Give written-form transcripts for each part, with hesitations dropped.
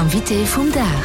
Invité vum Dag.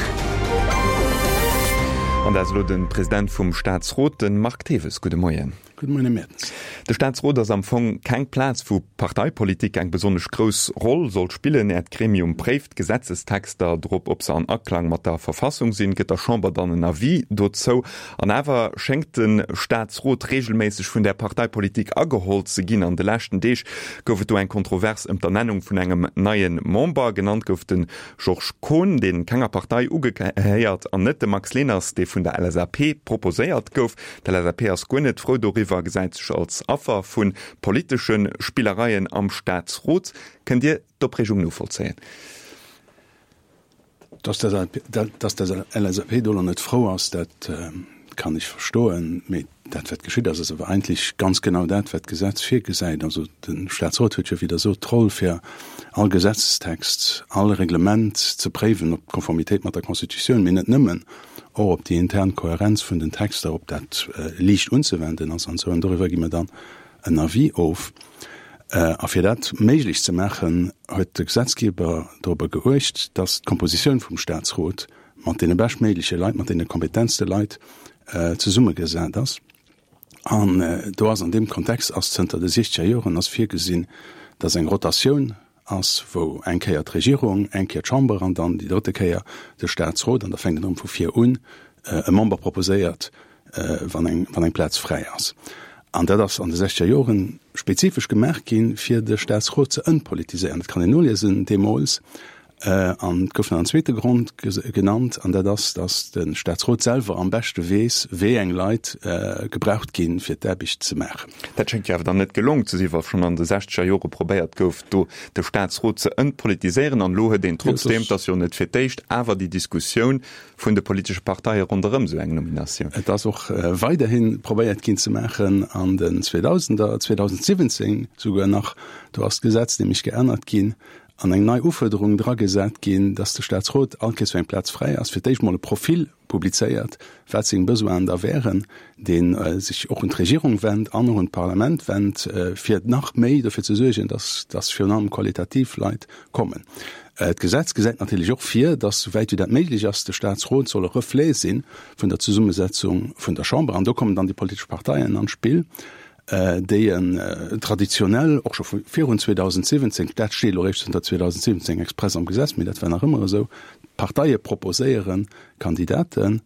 An dat ass elo de President vum Staatsrot, de Marc Thewes. Gudde Moien. Gudde Moien, Här Mertens. De Staatsrot ass am Fong keng Plaz, wou Parteipolitik eng besonnesch grouss Roll soll spillen. Äert Gremium préift d'Gesetzestexter drop, ob se an Aklang mat der Verfassung sinn, gëtt der Chamber dann en Avis dozou. An awer schéngt de Staatsrot reegelméisseg vun der Parteipolitik ageholl ze ginn. An de leschten Deeg gouf et do eng Kontrovers ëm d'Ernennung vun engem neie Member. Genannt gouf de Georges Kohn, dee kenger Partei ugehéiert, an net de Max Leners, dee vun der LSAP proposéiert gouf. D'LSAP ass guer net frou doriwwer, gesäit sech als Affer vu politesche Spillereien am Staatsrot. Kënnt Dir d'Opreegung novollzéien? Dass d'LSAP do lo net frou ass, dat kann ech verstoen. Mee dat, wat geschitt ass, ass awer eigentlech ganz genau dat, wat d'Gesetz virgesäit. Also de Staatsrot huet jo, wéi Der sot, d'Roll, fir all Gesetzestext, all Reglement ze préiwen op d'Konformitéit mat der Constitutioun, mee net nëmmen, och op déi intern Kohärenz vun den Texter, ob dat liicht unzewenden ass an esou. An doriwwer gi mer dann en Avis of. A fir dat méiglech ze maachen, huet de Gesetzgeber dorobber geuecht, dass d'Kompositioun vum Statsrot mat deene beschtméigleche Leit, mat deene kompetentste Leit zesummegesat ass. An do ass an deem Kontext ass zënter de siechzeger Joren ass virgesinn, dass eng Rotatioun ass, wou eng Kéier d'Regierung, eng Kéier d'Chamber an dann déi drëtte Kéier de Statsrot, an da fänkt et erëm vu vir un, e Member proposéiert, wann eng, wann eng Plaz fräi ass. An dat ass an de sechzeger Joren spezifesch gemaach ginn, fir de Statsrot ze entpolitiséieren. Dat kann een noliesen deemools. An et gouf nach en zweete Grond genannt, an dat ass, datt de Staatsrot selwer am beschte weess, wéi eng Leit gebraucht ginn, fir d'Aarbecht ze maachen. Dat schéngt jo awer dann net gelong ze sinn, wa schonn an de sechzeger Jore probéiert gouf, do de Staatsrot ze entpolitiséieren. An elo huet een trotzdeem, et ass jo net fir d'éischt, awer déi Diskussioun vun de politesche Parteie ronderëm esou eng Nominatioun. Et ass och weiderhi probéiert ginn ze maachen an den Zweedausender, 2017 souguer nach, do ass d'Gesetz nämlech geännert ginn, an eng nei Ufuerderung dragesat ginn, dass de Staatsrot, all Kéiers wou eng Plaz fräi ass, fir d'éischt mol e Profil publizéiert, wat seng Besoinen da wären, dee sech och un d'Regierung wennt an och un d'Parlament wennt, fir nach méi dofir ze suergen, dass, dass virun allem qualitativ Leit kommen. D'Gesetz gesäit natierlech och vir, dass, souwäit wéi dat méiglech ass, de Staatsrot soll e Reflet si vun der Zesummesetzung vun der Chamber. An do kommen dann déi politesch Parteien an d'Spill. déi en traditionell och scho vu virun 2017, dat steet elo eréischt zënter 2017 express am Gesetz, mee dat war nach ëmmer esou, d'Parteie proposéiere Kandidaten,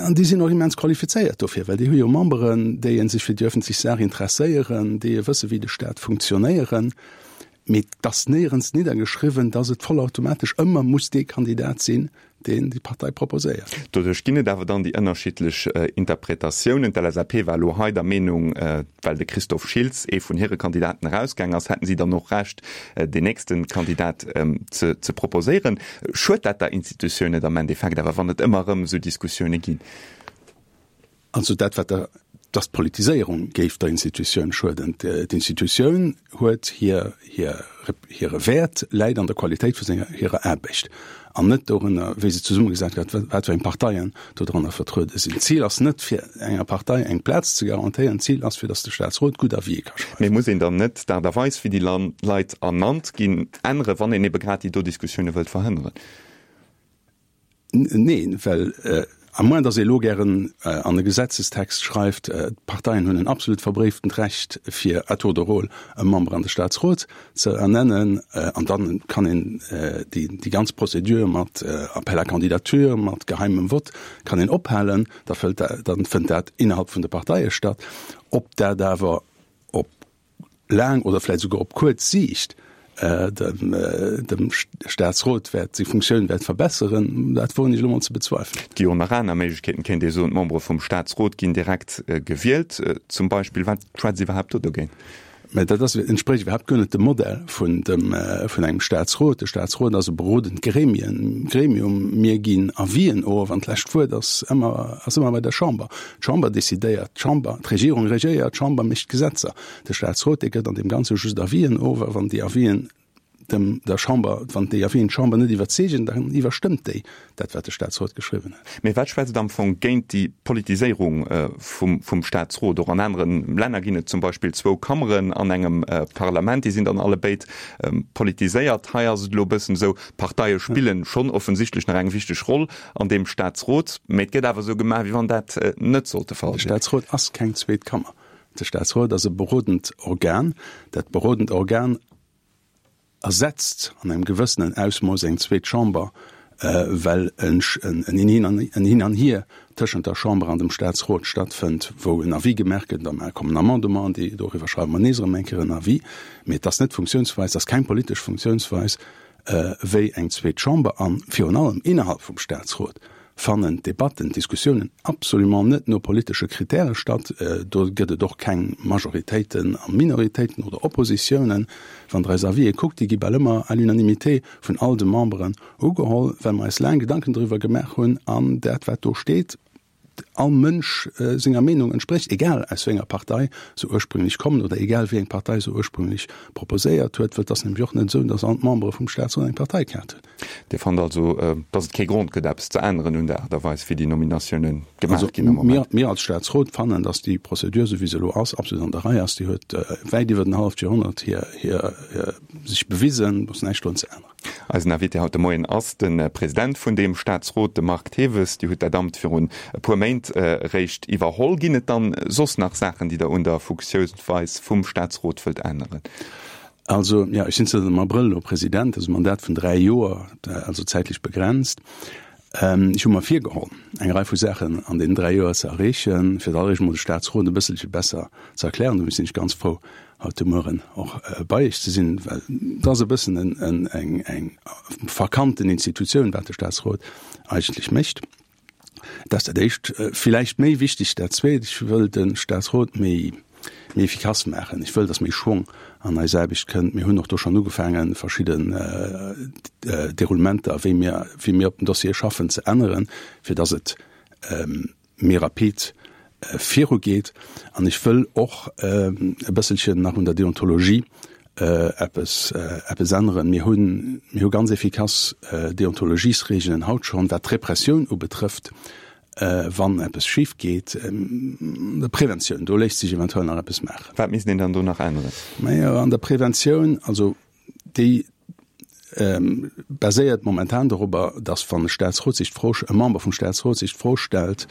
an déi sinn och immens qualifizéiert dofir, well déi hu jo Memberen, déi sech fir déi öffentlech Saach interesséieren, déi wësse wéi de Staat funktionéieren. Mee et ass néierens niddergeschriwwen, dass et vollautomatesch ëmmer muss dee Kandidat sinn, deen déi Partei proposéiert. Doduerch ginn et awer dann déi ënnerschiddlech Interpretatiounen. D'LSAP war elo hei der Meenung, well de Christophe Schiltz, ee vun hire Kandidaten, erausgaang ass, hätten si dann och Recht, deen nächste Kandidat ze proposéieren. Schued dat der Institutioun net am Endeffekt awer, wann et ëmmer erëm esou Diskussioune ginn? Also dat, wat der, dass d'Politiséierung géif der Institutioun schueden. D'Institutioun huet hir, hir, hire Wäert läit an der Qualitéit vu senger, hirer Aarbecht an net dorënner, wéi se zesummegesat gëtt, wat fir eng Parteien dodranner vertruede sinn. D'Zil ass net, fir enger Partei eng Plaz ze garantéieren, d'Zil ass, fir dass de Staatsrot gutt Avisë ka schreiwen. Mee muss een dann net d'Aart a Weis, wéi déi Leit ernannt ginn, änneren, wann een ebe grad déi do Diskussioune wëllt verhënneren? Neen, well à moins dass ee elo gären an e Gesetzestext schreift, d'Parteien hunn en absolut verbréiftent Recht fir à tour de rôle e Member an de Staatsrot ze ernennen, an da kann een déi ganz Procédure mat Appel à candidature, mat geheimem Vott kann een ophalen, da fënnt dat innerhalb vun de Parteie statt. Ob dat awer op laang oder vläicht esouguer op kuerz Siicht dem Staatsrot wäert seng Funktioun wäert verbesseren, dat woen ech elo mol ze bezweifelen. Et gi jo nach aner Méiglechkeeten, kéint ee soen, d'Membere vum Staatsrot ginn direkt gewielt zum Beispill. Wat schwätzt iwwerhaapt do dogéint? Mä dat ass, entsprécht iwwerhaapt guer net dem Modell vun dem, vun engem Staatsrot. De Staatsrot ass e berodend Gremien, Gremium. Mir ginn Avisen of an d'lescht Wuert ass ëmmer, ass ëmmer bei der Chamber. D'Chamber decidéiert, d'Chamber, d'Regierung regéiert, d'Chamber mécht d'Gesetzer. De Staatsrot, dee gëtt an deem Ganze just Avisen of, a wann déi Avisen. dem der Chamber, wann déi Avisen d'Chamber net iwwerzeegen, dann iwwerstëmmt déi dat, wat de Statsrot geschriwwen huet. Mee wat schwätzt am Fong géint déi Politiséierung vum Statsrot? Och an anere Länner ginn et zum Beispill zwou Kammeren an engem Parlament, déi sinn dann allebéid politiséiert. Hei ass et elo e bëssen esou, d'Parteie spillen schonn offensichtlech nach eng wichteg Roll an deem Statsrot, mee et gëtt awer esou gemaach, wéi wann dat net sollt de Fall sinn. De Statsrot ass keng zweet Kammer. De Statsrot ass e berodend Organ. Dat berodend Organ ersetzt an engem gewëssenen Ausmooss eng zweet Chamber, well en Hin an Hier tëschent der Chamber an dem Statsrot stattfënnt, wou en Avis gemaach gëtt, da kommen Amendementen, déi doriwwer schreiwe mer nees erëm eng Kéier en Avis. Mee et ass net d'Funktiounsweis, et ass keng politesch Funktiounsweis wéi eng zweet Chamber. A virun allem innerhalb vum Statsrot fannen d'Debatten, d'Diskussiounen absolument net no politesche Kritäre statt. Do gëtt et och keng Majoritéiten a Minoritéiten oder Oppositiounen. Wann Der eis Avisë kuckt, déi gi bal ëmmer à l'unanimité vun all de Memberen ugeholl, well mer eis laang Gedanken doriwwer gemaach hunn an dat, wat do steet, all Mënsch senger Meenung entsprécht, egal aus wéi enger Partei se ursprünglech kommen oder egal wéi eng Partei se ursprünglech proposéiert huet, well et ass nämlech och net esou, datt all d'Membere vum Staatsrot eng Parteikaart hunn. Dir fannt also, datt et kee Grond gëtt, eppes ze änneren un der Aart a Weis, wéi déi Nominatioune gemaach ginn am Moment? Mir als Staatsrot fannen, datt déi Prozedur, esou wéi se elo ass, absolut an der Rei ass. Déi huet wäit iwwer en halleft Joerhonnert hir sech bewisen. Do ass näischt drun ze änneren. Eisen Invité haut de Moien ass de President vun deem Staatsrot, de Marc Thewes. Dir hutt dat Amt virun e puer Méint eréischt iwwerholl. Ginn et dann soss nach Saachen, déi Der un der Funktiounsweis vum Staatsrot wëllt änneren? Also, jo, ech sinn zënter dem Abrëll elo President, dat ass e Mandat vun 3 Joer, also zäitlech begrenzt. Ech hu mer virgeholl, eng Rei vu Saachen an deenen 3 Joer ze erreechen. Fir d'alleréischt emol de Staatsrot e bësselche besser ze erklären. Dofir sinn ech ganz frou, haut de Mueren och bei Iech ze sinn, well et ass e bëssen eng eng verkannten Institutioun, wat de Staatsrot eigentlech mécht. Dat ass dat Éischt. Villäicht méi wichteg dat Zweet, Ech wëll de Staatsrot méi, méi efficace maachen. Ech wëll, datt méi Schwong an eis Aarbecht kënnt. Mir hunn och do schonn ugefaangen, verschidden Deroulementer, wéi mir, wéi mir op den Dossiere schaffen, ze änneren, fir datt et méi rapid virugeet. An ech wëll och e bësselchen nach un der Deontologie eppes, eppes änneren. Mir hunn, mir hu ganz efficace Deontologiesregelen haut schonn, wat d'Repressioun ubetrëfft, wann eppes schif geet. An der Preventioun, do léisst sech eventuell nach eppes maachen. Wat misst een dann do nach änneren? Majo, an der Preventioun, also déi baséiert momentan dorobber, datt wann e Staatsrot sech d'Fro, e Member vum Staatsrot sech d'Fro stellt,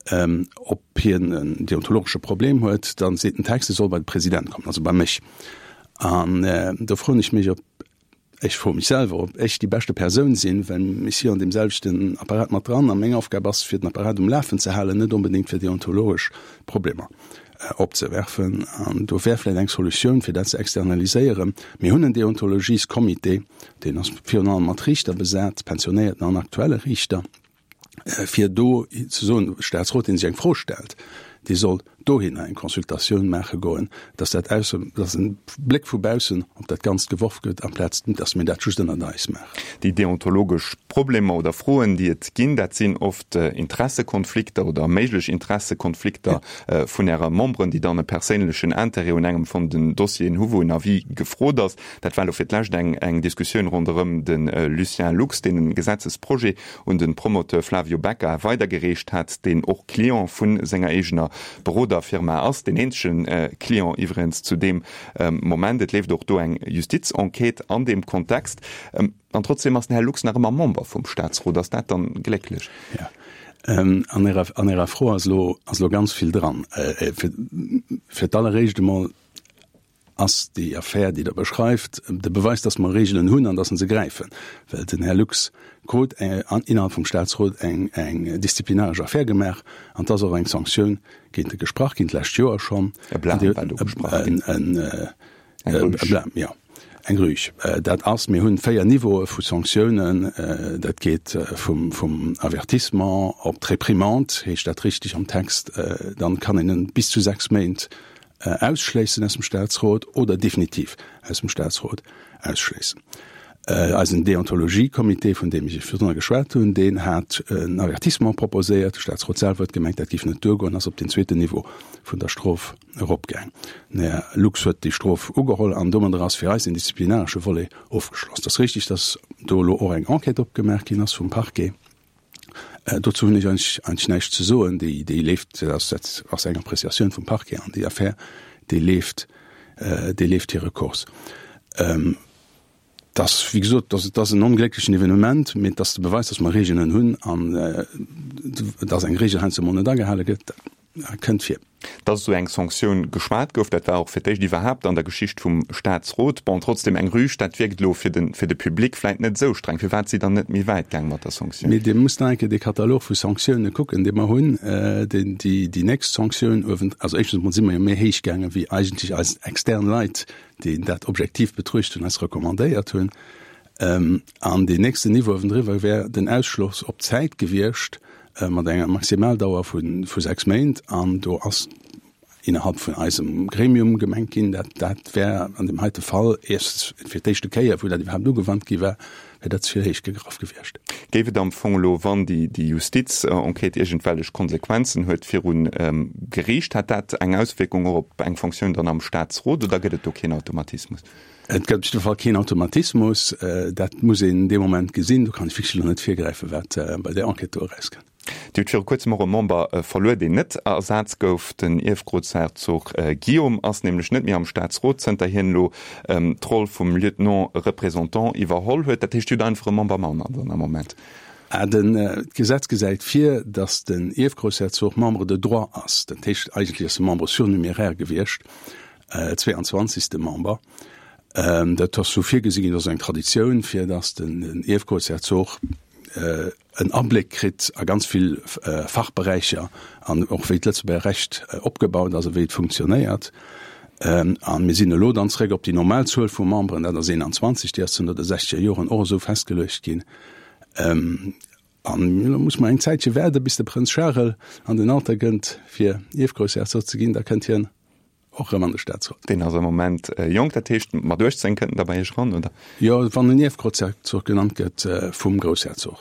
ob hien en deontologesche Problem huet, da seet den Text, e soll bei de President kommen, also bei mech. An do froen ech mech, ob, ech froe mech selwer, ob ech déi beschte Persoun sinn, well ech si jo an deem selwechten Apparat mat dran a meng Aufgab ass, fir den Apparat um Lafen ze halen, net onbedéngt fir deontologesch Problemer opzewerfen. An do wär vläicht eng Solutioun, fir dat ze externaliséieren. Mir hunn en Deontologiescomité, deen ass virun allem mat Riichter besat, pensionéierten an aktuelle Riichter, fir do ze soen, de Staatsrot, dee sech eng Fro stellt, dee soll dohinner eng Consultatioun maache goen, dass dat aus, dass e Bléck vu baussen op dat Ganzt geworf gëtt, amplaz dass mir dat just ënnert eis maachen. Déi deontologesch Problemer oder Froen, déi et ginn, dat sinn oft Interessekonflikter oder méiglech Interessekonflikter vun Ärer Memberen, déi dann e perséinlechen Intérêt un engem vun den Dossieren hu wou en Avis gefrot ass. Dat war elo fir d'lescht eng eng Diskussioun ronderëm de Lucien Lux, deen e Gesetzesprojet un de Promoteur Flavio Becca weidergereecht hat, deen och Client vu senger eegener Beroderfirma ass, deen eenzege Client iwwregens zu deem Moment. Et leeft och do eng Justizenquête an deem Kontext. An trotzdem ass den Här Lux nach ëmmer Member vum Staatsrot. Ass dat dann glécklech? Jo. An Ärer, an Ärer Fro ass elo, ass elo ganz vill dran. Fir, fir d'alleréischt emol ass déi Affär, déi Der beschreift, de Beweis, dass mer Regeln hunn an dass se gräifen. Well den Här Lux krut innerhalb vum Staatsrot eng, eng disziplinaresch Affär gemaach an et ass och eng Sanktioun géint e gesprach ginn, d'lescht Joer schonn. E Blâme war do gesprach ginn. Eng Rüg. E Blâme, jo. Eng Rüg. Dat ass, mir hunn 4 Niveaue vu Sanktiounen. Dat geet vum, vum Avertissement op d'Réprimande, heescht dat richtig am Text, dann kann een en bis zu 6 Méint ausschléissen aus dem Staatsrot oder definitiv aus dem Staatsrot ausschléissen. Eisen Deontologie-Comité, vun deem ech virdrunner geschwat hunn, deen hat en Avertissement proposéiert. De Staatsrot selwer huet gemengt, dat géif net duergoen, ass op deen zweeten Niveau vun der Strof eropgaang. Den Här Lux huet déi Strof ugeholl an domadder ass fir eis den disziplinaresche Volet ofgeschloss. Et ass richtig, dass do elo och eng Enquête opgemaach ginn ass vum Parquet. Dozou hunn ech eigentlech näischt ze soen. Déi, déi leeft, dat ass eng Appréciatioun vum Parquet an déi Affär, déi leeft, déi leeft hire Cours. Et ass, wéi gesot, et ass en onglécklechen Evenement, mee et ass de Beweis, dass mer Regeln hunn an dass eng Regel heiansdo emol net agehale gëtt, dat kënnt vir. Dass esou eng Sanktioun geschwat gouf, dat war och fir d'éischt iwwerhaapt an der Geschicht vum Staatsrot. Bon, trotzdem eng Rüg, dat wierkt elo fir de fir de Public vläit net esou streng. Firwat si dann net méi wäit gaang mat der Sanktioun? Mee Dir musst nach eng Kéier dee Katalog vu Sanktioune kucken, dee mer hunn. Déi déi nächst Sanktioun uewen, also éischtens emol si mer jo méi héich gaangen, wéi eigentlech eis extern Leit, déi dat objektiv betruecht hunn, eis recommandéiert hunn. An deen nächsten Niveau uewendriwwer wär den Ausschloss op Zäit gewiescht, mat enger Maximaldauer vu 6 Méint. An do ass innerhalb vun eisem Gremium gemengt ginn, dat dat wär an deem heite Fall, erstens fir d'éischte Kéier, wou dat iwwerhaapt ugewannt gi war, wär dat ze vill héich gegraff gewiescht. Géif et am Fong elo, wann déi Justiz-Enquête iergendwellech Konsequenzen huet viru Geriicht, hätt dat eng Auswierkung och op eng Fonctioun dann am Staatsrot oder gëtt et do keen Automatismus? Et gëtt op jidde Fall keen Automatismus. Dat muss een dee Moment gesinn. Do kann ech wierklech elo net virgräifen, wat bei där Enquête do erauskënnt. Dir hutt viru kuerzem och e Member verluer, deen net ersat gouf. Den Ierfgroussherzog Guillaume ass nämlech net méi am Staatsrot, zënter hien elo d'Roll vum Lieutenant représentant iwwerholl huet. Dat heescht, Dir hutt einfach e Member manner dann am Moment. D'Gesetz gesäit vir, datt den Ierfgroussherzog Membre de droit ass. Dat heescht, eigentlech ass e Membre surnuméraire gewiescht. 22. Member. Dat ass sou virgesi ginn, dat ass eng Traditioun, fir datt den Ierfgroussherzog en Abléck kritt a ganz vill Fachberäicher an och wéi d'Lëtzebuerger Recht opgebaut ass a wéi et funktionéiert. A mir sinn elo dann zréck op déi normal Zuel vu Memberen, dat ass 21, déi ass zënter de sechzeger Joren och esou festgeluecht ginn. An elo muss mer eng Zäitche waarde bis de Prënz Charel an den Alter kënnt, fir Ierfgroussherzog ze ginn, da kënnt hien Och erëm an de Staatsrot. Deen ass am Moment jonk, dat heescht mat 18 kënnt en da bei Iech eran, oder? Jo, wann en Ierfgroussherzog genannt gëtt vum Groussherzog.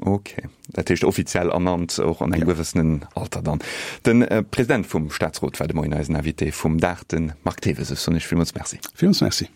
Ok, dat heescht offiziell ernannt, och an engem gewëssenen Alter dann. De President vum Staatsrot war de Moien eisen Invité vum Dag, de Marc Thewes. Ech soen Iech villmools Merci. Villmools Merci.